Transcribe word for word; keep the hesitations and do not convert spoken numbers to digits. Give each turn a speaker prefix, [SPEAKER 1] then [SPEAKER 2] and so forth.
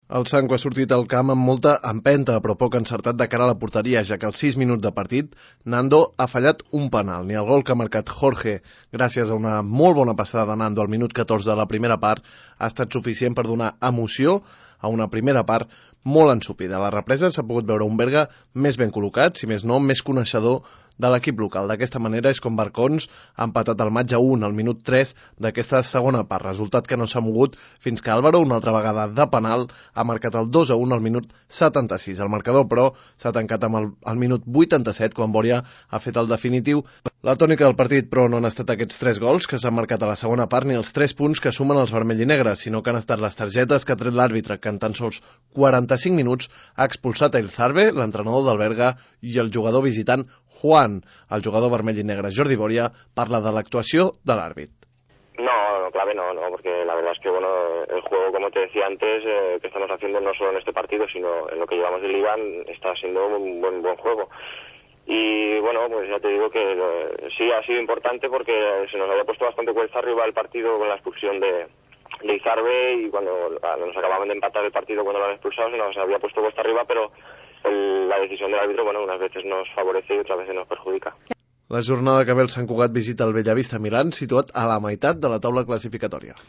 [SPEAKER 1] El Sanco ha sortit al camp amb molta empenta, però poc encertat de cara a la porteria, ja que als sis minuts de partit, Nando ha fallat un penal. Ni el gol que ha marcat Jorge, gràcies a una molt bona passada de Nando al minut catorze de la primera part, ha estat suficient per donar emoció a una primera part molt ensupida. A la represa s'ha pogut veure un Berga més ben col·locat, si més no, més coneixedor de l'equip local. D'aquesta manera és com Barcons ha empatat el match a un al minut tres d'aquesta segona part, resultat que no s'ha mogut fins que Álvaro, una altra vegada de penal, ha marcat el dos a un al minut setanta-sis. El marcador, però, s'ha tancat amb el, el minut vuitanta-set, quan Boria ha fet el definitiu. La tònica del partit, però, no han estat aquests tres gols que s'han marcat a la segona part ni els tres punts que sumen els vermell i negres, sinó que han estat les targetes que ha tret l'àrbitre, que en tan sols quaranta-cinc minuts ha expulsat a Elzarbe, l'entrenador del Berga, i el jugador visitant Juan. El jugador vermell i negre Jordi Boria parla de l'actuació de l'àrbit.
[SPEAKER 2] No, no, clave no, no, porque la verdad es que, bueno, el juego, como te decía antes, eh, que estamos haciendo no solo en este partido, sino en lo que llevamos de Liga, está siendo un buen, buen juego. Y bueno, pues ya te digo que eh, sí ha sido importante porque se nos había puesto bastante cuesta arriba el partido con la expulsión de, de Izarbe, y cuando nos acababan de empatar el partido cuando lo han expulsado se nos había puesto cuesta arriba, pero el, la decisión del árbitro, bueno, unas veces nos favorece y otras veces nos perjudica.
[SPEAKER 1] La jornada que ve el Sant Cugat visita el Bellavista Milán, situat a la meitat de la taula classificatòria.